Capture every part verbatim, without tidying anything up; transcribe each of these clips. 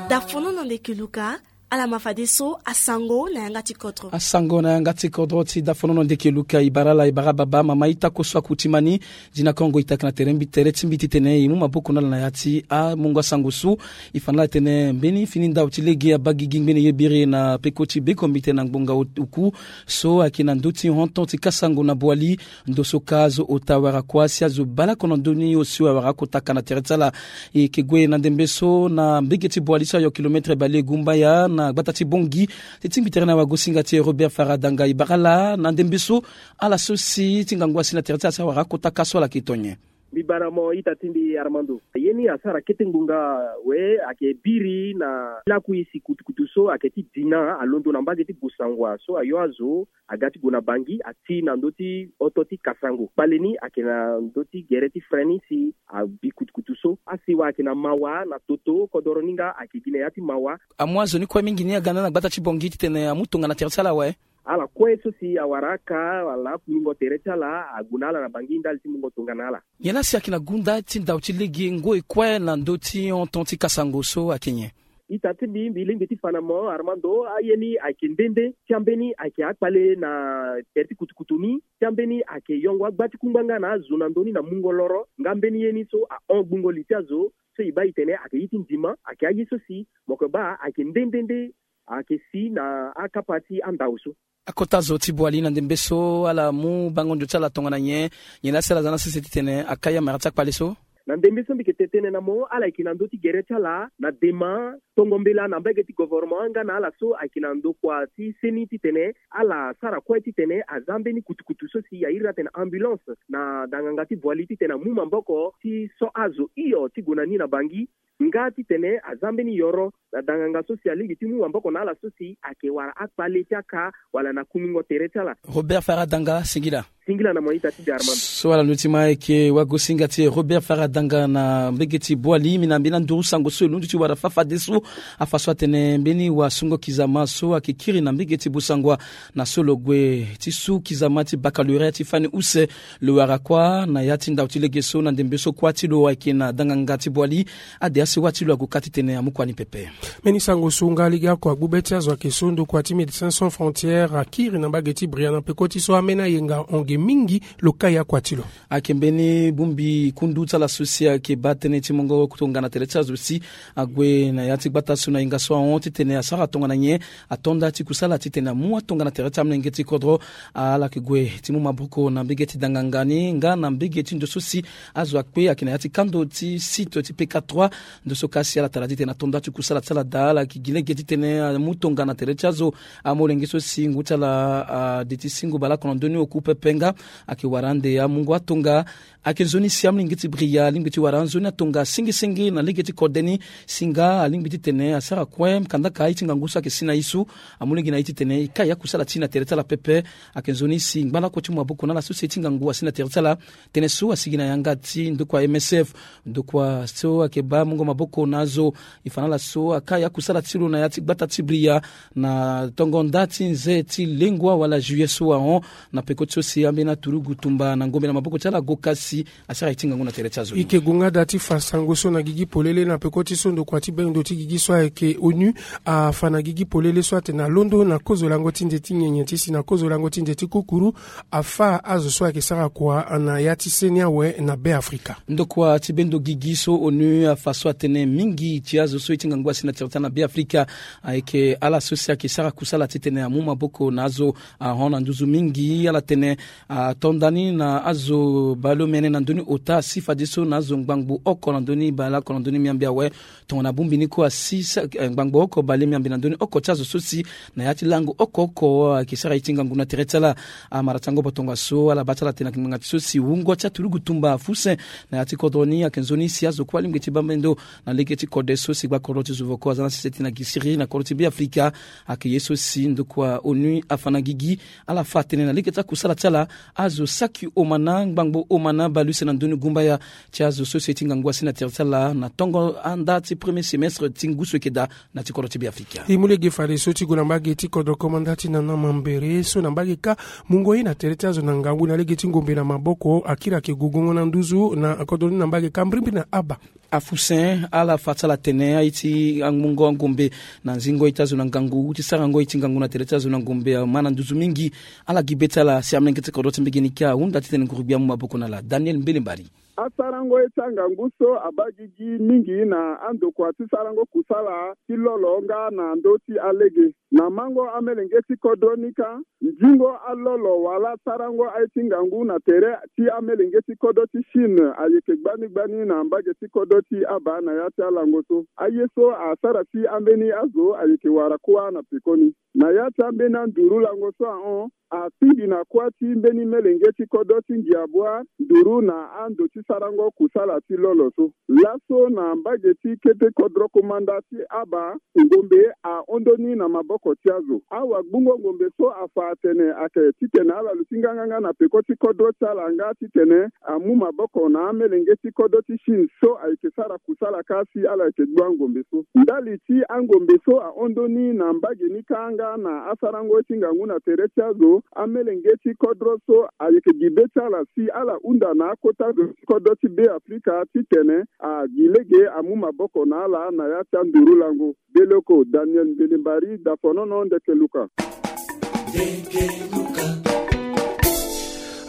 Dafono na ndeke luka. Ala ma fadeso asango na yanga ti kodro. Asango na yanga ti kodro ti dafono na ndeke luka. E bara ala, e bara baba, mama, ita, koso akuti mani. Dina kongo e taki na tere mbi, tere ti mbi titene e mu maboko na ala na ya ti amungo asango so. E fa na ala tene mbeni fini ndau ti lege abaa gigi ngbene ye biri na peko ti bekombi titene na ngbonga oku so ayeke na ndö ti honton ti kasango na boali. Ndo so ka azo ota wara kuâ si azo bale oko na ndö ni osio awara oko taka na tere ti ala. E yeke gue na ndembe so na mbege ti boali so ayo kilometre bale gumbaya na gbata ti Bongi. Ti tingbi tere na wagosinga ti e Robert Faradanga, e bara ala na ndembe so ala so si ti ngangu asi na tere ti ala si awara oko taka so ala yeke to nyen? Mbi bara mo ita ti mbi Armando. Ye ni asara kete ngbonga we ayeke biri na lakui si kutukutu so ayeke ti dina alondo na mbage ti Busangwa so ayo azo aga ti gue na Bangi, ati na ndö ti oto ti Kasango. Kpale ni ayeke na ndö ti gere ti frein ni si abi kutukutu so. Asiwa ayeke na mawa na toto, kodoro ni nga ayeke gi na ya ti mawa. Amu azo ni kue mingi ni aga na gbata ti Bongi titene amu tongana tere ti ala awe? Ala kue so si awara aka wala akumingo tere ti ala ague na ala na Bangi ndali ti mungo tongana ala. Nyen la si ayeke na gunda ti ndau ti lege ngoi kue na ndö ti honton ti Kasango so ayeke nyen? Ita ti mbi, mbi lingbi ti fa na mo Armando, aye ni ayeke nde nde. Ti ambeni ayeke akpale na tere ti kutukutu ni. Ti ambeni ayeke yongo agba ti kungba nga na azo na ndö ni na mungo loro. Nga mbeni ye ni so ahon gbungo li ti azo so e baa e tene ayeke ye ti ndima, ayeke aye so si mo yeke baa ayeke nde nde nde ayeke si na akapa ti andau so. Akota zo ti boali na ndembe so ala mu bango ndio ti ala tongana nyen? Nyen la si ala za na sese titene akai amara ti akpale so? Na ndembe so mbi yeke tene na mo, ala yeke na ndö ti gere ti ala na dema tongo mbela na mbage ti govornement nga na ala so ayeke na ndokua ti seni titene ala sara kue titene aza mbeni kutukutu so si airi atene ambulance na danganga ti boali titene amu maboko ti so azo hio ti gue na ni na Bangi. Nga titene aza mbeni yoro na danganga so si alingbi ti mu maboko na ala so si ayeke wara akpale ti aka wala na kumingo tere ti ala. Robert Faradanga, singila. Singila na mo ita ti mbi Armando. So ala luti ma ayeke wagosinga ti e Robert Faradanga na mbege ti boali. Mbi na mbeni anduru sango so e londo ti wara fafadeso. Afa so atene mbeni wasungo kizama so ayeke kiri na mbege ti Busangwa na so lo gue ti su kizama ti baccalauréat ti fani use. Lo wara kuâ na ya ti ndau ti lege so na ndembe so kuâ ti lo ayeke na danganga ti boali. Ade asewa ti lo ague ka titene amu kua ni pepe. Mbeni sango so nga lege oko agbu be ti azo ayeke so ndokua ti Médecins Sans Frontières akiri na mbage ti Bria na peko ti so ambeni ayenga ahon ge mingi lo kai akua ti lo. Ayeke mbeni bongbi kundu ti ala so si ayeke baa tënë ti mungo tongana tere ti azo si ague na ya ti gbata so na yenga so ahon titene asara tongana nyen. Ato nda ti kusala titene amu atongana tere ti amolenge ti kodro. Ala yeke gue ti mu maboko na mbege ti danganga ni nga na mbege ti ndo so si azo akpe ayeke na ya ti kando ti site ti P K trois. Ndo so ka si ala tara titene ato nda ti kusala ti ala daa, ala yeke gi lege titene amu tongana tere ti azo amolenge so si ngu ti ala ade ti singo baleoko na ndö ni oku pepe nga ayeke wara ande amungo atonga. Ayeke nzoni si amolenge ti Bria alingbi ti wara nzoni atonga senge senge na lege ti kode ni. Si nga alingbi titene asara kue kandaka aye ti ngangu so ayeke si na ye so. Amu lege na ye titene e kai akusala ti e na tere ti ala pepe. Ayeke nzoni si ngbalako ti mu maboko na ala so si aye ti ngangu asi na tere ti ala. Tënë so asigi na yanga ti ndokua M S F, ndokua so ayeke baa mungo maboko na azo. E fa na ala so akai akusala ti lo na ya ti gbata ti Bria na tongo nda ti nze ti lengua wala juillet so ahon. Na peko ti so si ambeni aturugu tumba na ngombe na maboko ti ala go kasi asara ye ti ngangu na tere ti azo. E yeke gue nga daa ti fa sango so na gigi polele na peko ti so ndokua ti bendo ti gigi so ayeke onu afa na gigi polele so atene alondo na kozo lango ti nze ti nyenye ti si na kozo lango ti nze ti kukuru afa azo so ayeke sara kua na ya ti seni awe na Be Afrika. Ndokua ti bendo gigi so onu afa so atene mingi ti azo so ye ti ngangu asi na tere ti ala na Be Afrika ayeke ala so si ayeke sara kusala titene amu maboko na azo ahon na nduzu mingi. Ala tene ato nda ni na azo baleomene na ndö ni ota si fadeso na azo ngbangbo oko na ndö ni baleoko na ndö ni miambe awe. Tongana bongbi ni kue asi sa- eh, ngbangbo oko baleomene na ndö ni oko ti azo so si na ya ti lango oko oko ayeke sara ye ti ngangu na tere ti ala. Amara ti angobo tongaso ala baa ti ala tene ayeke ngbanga ti so si wungo ti aturugu tumba afuse na ya ti kodro ni ayeke nzoni si azo kue alingbi ti baa mbendo na lege ti kode so si gbakodro ti zuvoko aza na sese ti na gisiri na kodro ti Be Afrika. Ayeke ye so si ndokua onu afa na gigi ala fa atene na lege ti akusala ti ala azo saki omana ngbangbo omana baleuse na ndö ni gumbaya ti azo so si ye ti ngangu asi na tere ti ala na tongo anda ti premier semestre ti ngu so eke daa na ti kodro ti Be Afrika. E mu lege fadeso ti gue na mbage ti kodro komanda ti nana mambere so na mbage ka mungo ye na tere ti azo na ngangu na lege ti ngombe na maboko akiri ayeke gogongo na nduzu na kodro ni na mbage ka mbirimbiri na aba. Afusen ala fa ti ala tene aye ti amungo angombe na nzingo ye ti azo na ngangu ti sarango ye ti ngangu na tere ti azo na ngombe ama na nduzu mingi. Ala gi be ti ala si amelenge ti kodro ti mbege ni ka ahunda titene nguru-gbia amu maboko na ala. Daniel Mbelembari. Asarango ye ti angangu so abaa gigi mingi na andokua ti sarango kusala ti lolo nga na ndö ti alege. Na mango amelenge ti kodro ni kâ, nzingo alolo wala sarango aye ti ngangu na tere ti amelenge ti kodro ti Chine ayeke gbani gbani na mbage ti kodro ti abaa na ya ti alango so. Aye so asara si ambeni azo ayeke wara kuâ na pekoni. Na ya ti ambeni anduru lango so ahon, atingbi na kuâ ti mbeni melenge ti kodro ti Ngiabua nduru na ando ti sarango kusala ti lolo so. Laso na mbage ti kete kodro komanda ti aba, ngombe ahon ndoni na maboko ti azo. Awagbungo ngombe so afa atene ayeke titene ala luti nganganga na peko ti kodro ti ala nga titene amu maboko na amelenge ti kodro ti Chine so ayeke sara kusala kâ si ala yeke gbu angombe so. Ndali ti angombe so ahon ndoni na mbage ni kâ nga na asarango ye ti ngangu na tere ti azo, amelenge ti kodro so ayeke gi be ti ala si ala hunda na akota zo ti kodro ti Be Afrika titene agi lege amu maboko na ala na ya ti anduru lango. Beleko Daniel Mbelembari, dafonono ndeke luka.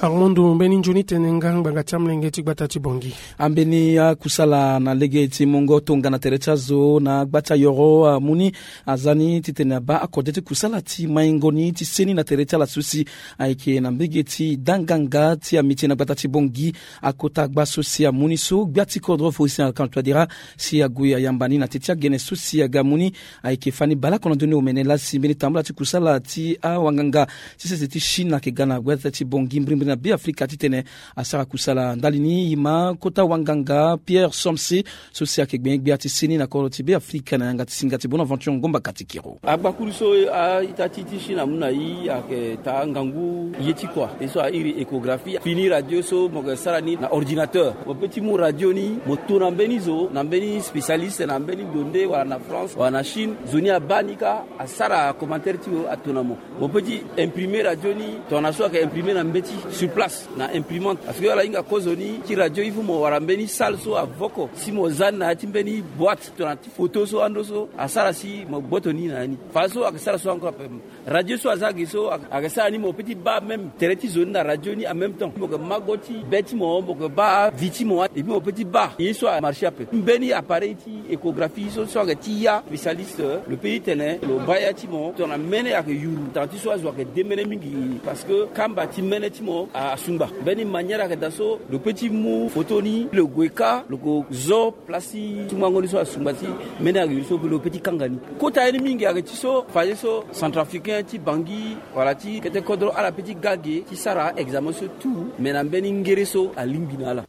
Armando, mbeni nzoni tene nga ngbanga ti amolenge ti gbata ti Bangui. Ambeni akusala na lege ti mungo tongana tere ti azo na gba ti ayoro amu ni, aza ni titene abaa akode ti kusala ti maingo ni ti seni na tere ti ala so si ayeke na mbege ti danganga ti amiti na gbata ti Bangui. Akota gba so si amu ni so gbia ti kodro Faustin Archange Touadéra si ague ayamba ni na teti agene so si aga amu ni, ayeke fani baleoko na ndö ni omene laa si mbeni tambula ti kusala ti awanganga ti sese ti Chine ayeke ga na gbata ti Bangui mbirimbiri na Be Afrika titene asara kusala. Ndali ni e ma kota wanganga Pierre Somse so si ayeke gbenye-gbia ti seni na kodro ti Be Afrika na yanga ti singa ti Bonaventure Ngomba Katikiro. Agbakuru so a-ita ti ti Chine amu na e ayeke taa ngangu ye ti kua ye so airi échographie. Fini radio so mo yeke sara ni na ordinateur. Mo peut ti mu radio ni mo to na mbeni zo na mbeni spécialiste na mbeni ndo nde wala na France wala na Chine. Zo ni abaa ni kâ asara commentaire ti lo ato na mo. Mo peut ti imprimer radio ni tongana so ayeke imprimer na mbeti sur place na imprimante. Parce que ala hinga kozoni ti radio il faut mo wara mbeni salle so avoko si mo za ni na ya ti mbeni boîte tongana ti photo so ando so asara si mo gboto ni na ya ni. Fadeso ayeke sara so encore ape. Radio so aza ge so ayeke sara ni mo peut ti baa même tere ti zo ni na radio ni en même temps mo yeke ma go ti be ti mo mo yeke baa vie ti mo et puis mo peut ti baa ye so amarché ape. Mbeni appareil ti échographie so so ayeke ti ya spécialiste lo peut ti tene lo baa ya ti mo tongana mene ayeke yuru tanga ti so azo ayeke demene mingi. Parce que kamba ti mene ti mo asungba mbeni manière ayeke daa so lo peut ti mu photo ni lo gue kâ lo ko zo place ti tungango ni so asungba ti mene ayeke yuru so lo peut ti kanga ni. Kota ye ni mingi ayeke ti so fadeso centrafricain ti Bangui wala ti kete kodro ala peut ti ga ge ti sara examen so tout mais na mbeni ngere so alingbi na ala.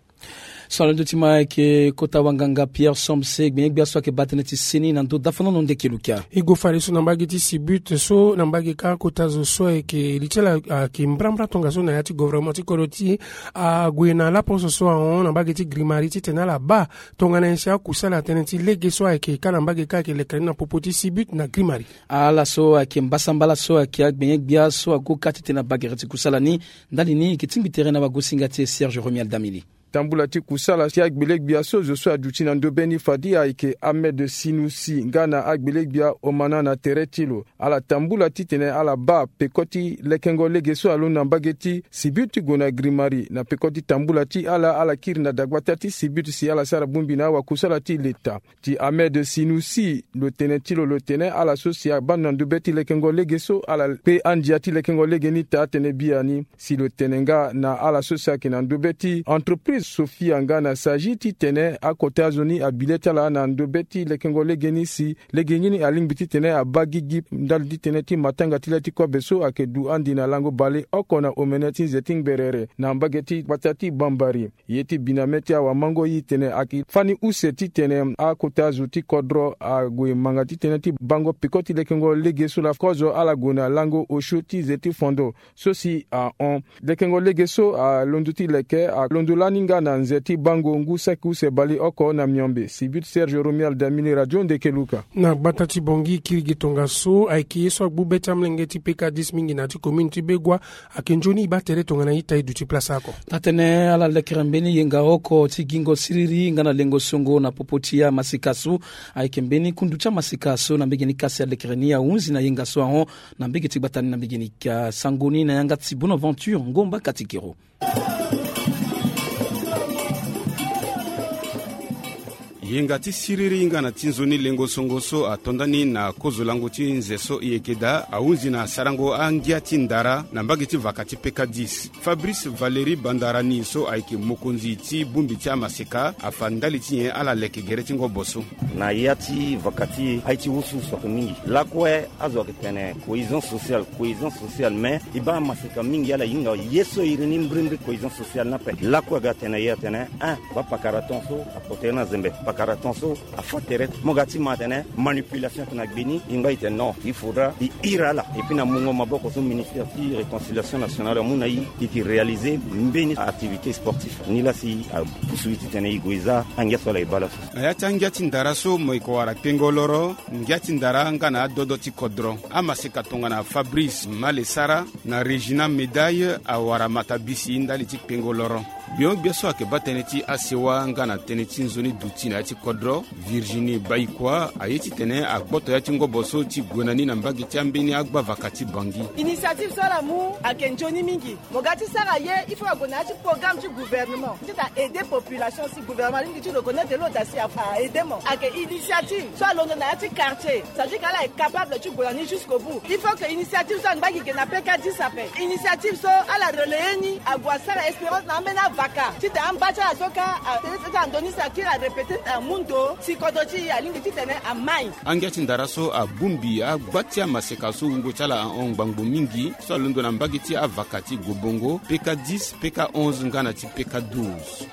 So alondo ti ma ayeke kota wanganga Pierre Somse gbenye-gbia so ayeke baa tënë ti seni na ndö dafonono ndeke lukia. E gue fadeso na mbage ti Sibut so na mbage kâ kota zo so ayeke li ti ala ayeke mbrambra tongaso na ya ti gouvernement ti kodro ti ague na laposo so ahon na mbage ti Grimari titene ala baa tongana nyen si akusala tënë ti lege so ayeke kâ na mbage kâ ayeke leke ni na popo ti Sibut na Grimari. Ala so ayeke mbasambala so ayeke agbenye-gbia so ague kâ titene abaa gere ti kusala ni. Ndali ni e yeke tingbi tere na wagosinga ti e Serge Romuald Damili. Tambula ti kusala ti agbele-gbia so zo so aduti na ndobe ni fade ayeke Ahmed Sinusi nga na agbele-gbia Omana na tere ti lo. Ala tambula titene ala baa peko ti lekengo lege so alondo na mbage ti Sibut ti gue na Grimari na peko ti tambula ti ala ala kiri na dagbata ti Sibut si ala sara bongbi na awakusala ti leta. Ti Ahmed Sinusi lo tene ti lo lo tene ala so si abaa na ndobe ti lekengo lege so ala kpe andia ti lekengo lege ni taa tënë biani. Si lo tene nga na ala so si ayeke na ndobe ti entreprise Sofia nga na Sagi titene akota zo ni abi le ti ala na ndobe ti lekengo lege ni si lege ni alingbi titene abaa gigi ndali ti tënë ti matanga ti le ti kobe so ayeke du andi na lango baleoko na omene ti nze ti ngberere na mbage ti gbata ti Bambari. Ye ti biname ti awamango e tene ayeke fani use titene akota zo ti kodro ague manga ti tënë ti bango peko ti lekengo lege so laa kozo ala gue na lango osio ti ze ti fondo so si ahon. Lekengo lege so alondo ti leke alondo lani nga Na nze ti bango ngu saki use baleoko na miombe. Sibit Serge Romuald Damini, Radio Ndekeluka. Na gbata ti Bangui, kirigi tongaso ayeke ye so agbu be ti amolenge ti P K dix mingi na ya ti commune ti Begoua ayeke nzoni e baa tere tongana ita e duti place oko. Taa-tënë, ala lekere mbeni yenga oko ti gingo siriri nga na lengo songo na popo ti amaseka so ayeke mbeni kundu ti amaseka so na mbege ni kasi alekere ni ahunzi na yenga so ahon na mbege ti gbata ni na mbege ni ka. Sango ni na yanga ti Bonaventure Ngomba Katikero. Yenga ti siriri nga na ti nzoni lengo songo so ato ndani na kozo lango ti nze so e yeke daa ahunzi na sarango angia ti ndara na mbage ti vaka ti P K dix. Fabrice Valéry Bandarani so ayeke mokonzi ti bongbi ti amaseka afa ndali ti nyen ala leke gere ti ngobo so. Na ya ti vaka ti e, aye ti wusuwusu ayeke mingi. Lakue azo ayeke tene cohésion sociale, cohésion sociale, mais e baa amaseka mingi ala hinga ye so iri ni mbrimbri cohésion sociale ni ape. Lakue aga tene ye atene, ah, baa pakara ton so apotere na zembe, pakara ton so afa tere. Mo ga ti ma atene manipulation ayeke na gbe ni. E ngba e tene non, il faudra e iri ala. Et puis na mungo maboko so ministère ti réconciliation nationale amu na e, e yeke réaliser mbeni activité sportif. Ni laa si apusu e titene e gue e za angia so ala e baa laso. Na ya ti angia ti ndara so mo yeke wara kpengo loro, ngia ti ndara nga na adodo ti kodro. Amaseka tongana Fabrice Malesara na Régina Médaille awara matabisi ndali ti kpengo loro. Gbio-gbia so ayeke baa tënë ti asewa nga na tënë ti nzoni duti na ya ti kodro, Virginie Baïkoi, aye titene agboto ya ti ngobo so ti gue na ni na mbage ti ambeni agbavaka ti Bangui. Initiative so ala mu ayeke nzoni mingi. Mo ga ti sara ye, il faut ague na ya ti programme ti gouvernement. Ti ta aider population si gouvernement alingbi ti reconnaître lo ta si a, a aider mo. Ayeke initiative so alondo na ya ti quartier. C'est-à-dire que ala est capable ti gue na ni jusqu'au bout. Il faut que initiative so angba gi ge na P K dix ape. Initiative so ala relayer ni, ague asara expérience na ambeni avaka. Ti ta amba ti ala so ka, a, ti ta ndoni si akiri arépéter na amu ndo, si kodro ti e alingbi titene amai. Angia ti ndara so abongbi agba ti amaseka so wungo ti ala ahon ngbangbo mingi, so alondo na mbage ti avaka ti Gobongo, P K dix, P K onze nga na ti P K douze.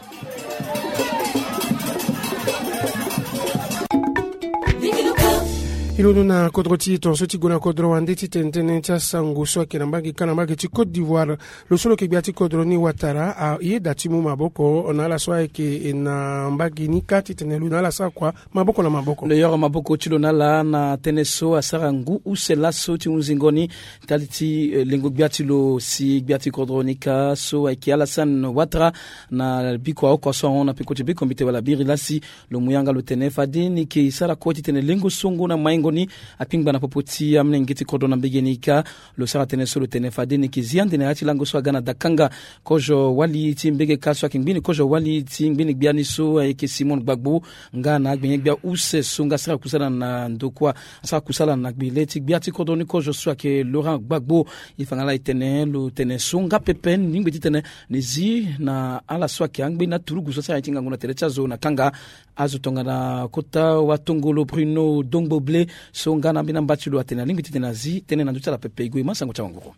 E londo na kodro ti e tongaso ti gue na kodro wande ti tene tënë ti asango so ayeke na mbage ka na mbage ti Côte d'Ivoire. Lo so lo yeke gbia ti kodro ni Ouattara ayeda ti mu maboko na ala so ayeke na mbage ni kâ titene lo na ala sara kua maboko na maboko. Lo yoro maboko ti lo na ala na tënë so asara ngu use laso ti hunzingo ni ndali ti, eh, lengo gbia ti lo si gbia ti kodro ni kâ so ayeke Alassane Ouattara na biko aoko so ahon na peko ti bekombite wala biri lasi. Lo mu yanga lo tene fade ni yeke sara kue titene lengo songo na maingo ni akpingba na popo ti amolenge ti kodro na mbege ni kâ. Lo sara tënë so lo tene fade ni yeke zi ande na ya ti lango so aga na dakanga kozo wali ti mbege kâ so ayeke ngbeni kozo wali ti ngbeni gbia ni so ayeke Simone Gbagbo nga na agbenye-gbia use so nga asara kusala na ndokua, asara kusala na gbele ti gbia ti kodro ni kozo so ayeke Laurent Gbagbo. E fa nga laa e tene lo tene so nga pepe ni ngbe titene ni zi na ala so ayeke angbeni aturugu so asara nyen ti ngangu na tere ti azo na kanga. Azo tongana kota watongolo Bruno Dongbo Ble so nga na ambeni amba ti lo atene alingbi titene azi tënë na ndö ti ala pepe. E gue e ma sango ti awanguru.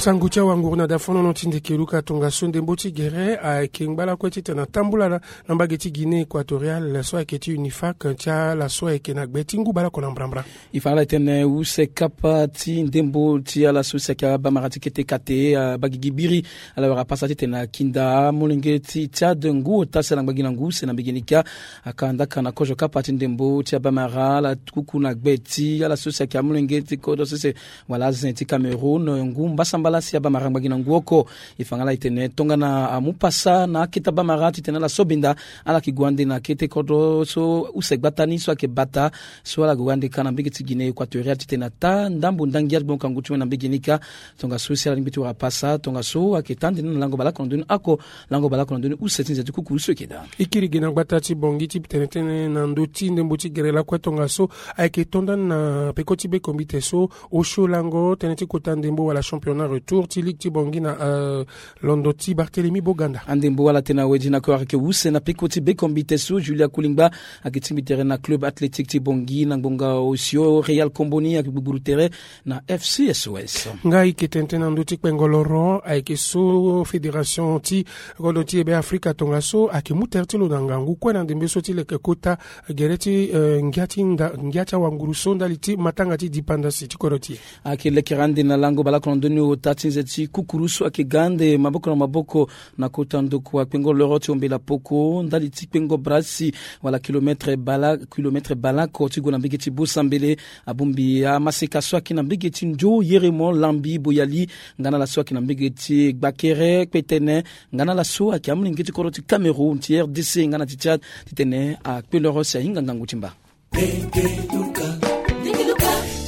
Sango ti awanguru na dafonono ti Ndekeluka. Tongaso ndembo ti gere ayeke ngba lakue titene atambula na, na mbage ti Guinée Équatoriale so ayeke ti UNIFAC ti ala so ayeke na gbe ti ngu baleoko na mbrambra. E fa nga laa e tene use kapa ti ndembo ti ala so si ayeke abamara ti kete kate, ah, abagigi biri, ala wara pasa titene akinda amolenge ti Tchad ngu ota si ala ngbagi na ngu use na mbege ni kâ. Aka ndaka na kozo kapa ti ndembo ti abamara ala kuku na gbe ti ala so si ayeke amolenge ti kodro sese wala azen ti Cameroun, ngu mbasambala si abamara ngbagi na ngu oko. E fa nga laa e tene tongana amu pasa na akete abamara titene ala so benda, ala yeke gue ande na kete kodro so use gbata ni so ayeke bata, so ala gue ande kâ na mbege ti Guinée Équatoriale titene ataa ndambo ndangia ti gbokangu ti mo na mbege ni kâ. Tongaso si ala lingbi ti wara pasa, tongaso ayeke taa ande ni na lango baleoko na ndö ni oko, lango baleoko na ndö ni use ti nze ti kukuru so e yeke daa. E kiri gi na gbata ti Bangui ti tene tënë na ndö ti ndembo ti gere lakue tongaso ayeke to ndani na peko ti bekombite so osio lango tënë ti kota ndembo wala championnat retour ti ligue ti Bangui na, euh, londo ti Barthélemy Boganda. Andembo ala tene awe di na kue ayeke use na peko ti bekombite so Julia Kulingba ayeke tingbi tere na club athlétique ti Bangui na ngbonga osio Real Komboni ayeke gbugburu tere na F C S O S. Nga e yeke tene tënë na ndö ti kpengo loro ayeke so fédération ti kodro ti e Be Afrika tongaso ayeke mu tere ti lo na ngangu kue na ndembe so ti leke kota gere ti, eh, ngia ti nda, ngia ti awanguru so ndali ti matanga ti dipanda si ti kodro ti e. Ayeke lekere ande na lango baleoko na ndö ni ota Ti nze ti kukuru so ayeke ga ande maboko na maboko na kota ndokua kpengo loro ti ombela poko ndali ti kpengo brasi wala kilometre bala kilometre balako ti gue na mbege ti bosambele. Abongbi amaseka so ayeke na mbege ti nzo yeremo lambi boyali nga na ala so ayeke na mbege ti gbakere kpetene nga na ala so ayeke amolenge ti kodro ti Cameroun ti R D C nga na ti Tchad titene akpe loro si ahinga ngangu ti mba.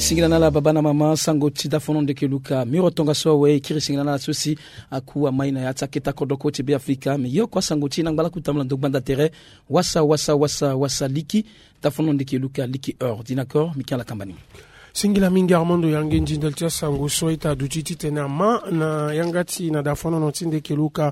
Singila na ala baba na mama sango ti dafono ndeke luka miro tongaso awe e kiri singila na ala so si aku amai na ya ti aketa kodoko ti Be Afrika me ye oko asango ti e na ngba laku tambula ndo gbanda tere. Wasa wasa wasa wasa liki dafono ndeke luka liki ordinateur mi ke ala kamba ni. Singila mingi Armando Yange nzindel ti asango so ita duti titene ama na yanga ti na dafono ti ndeke luka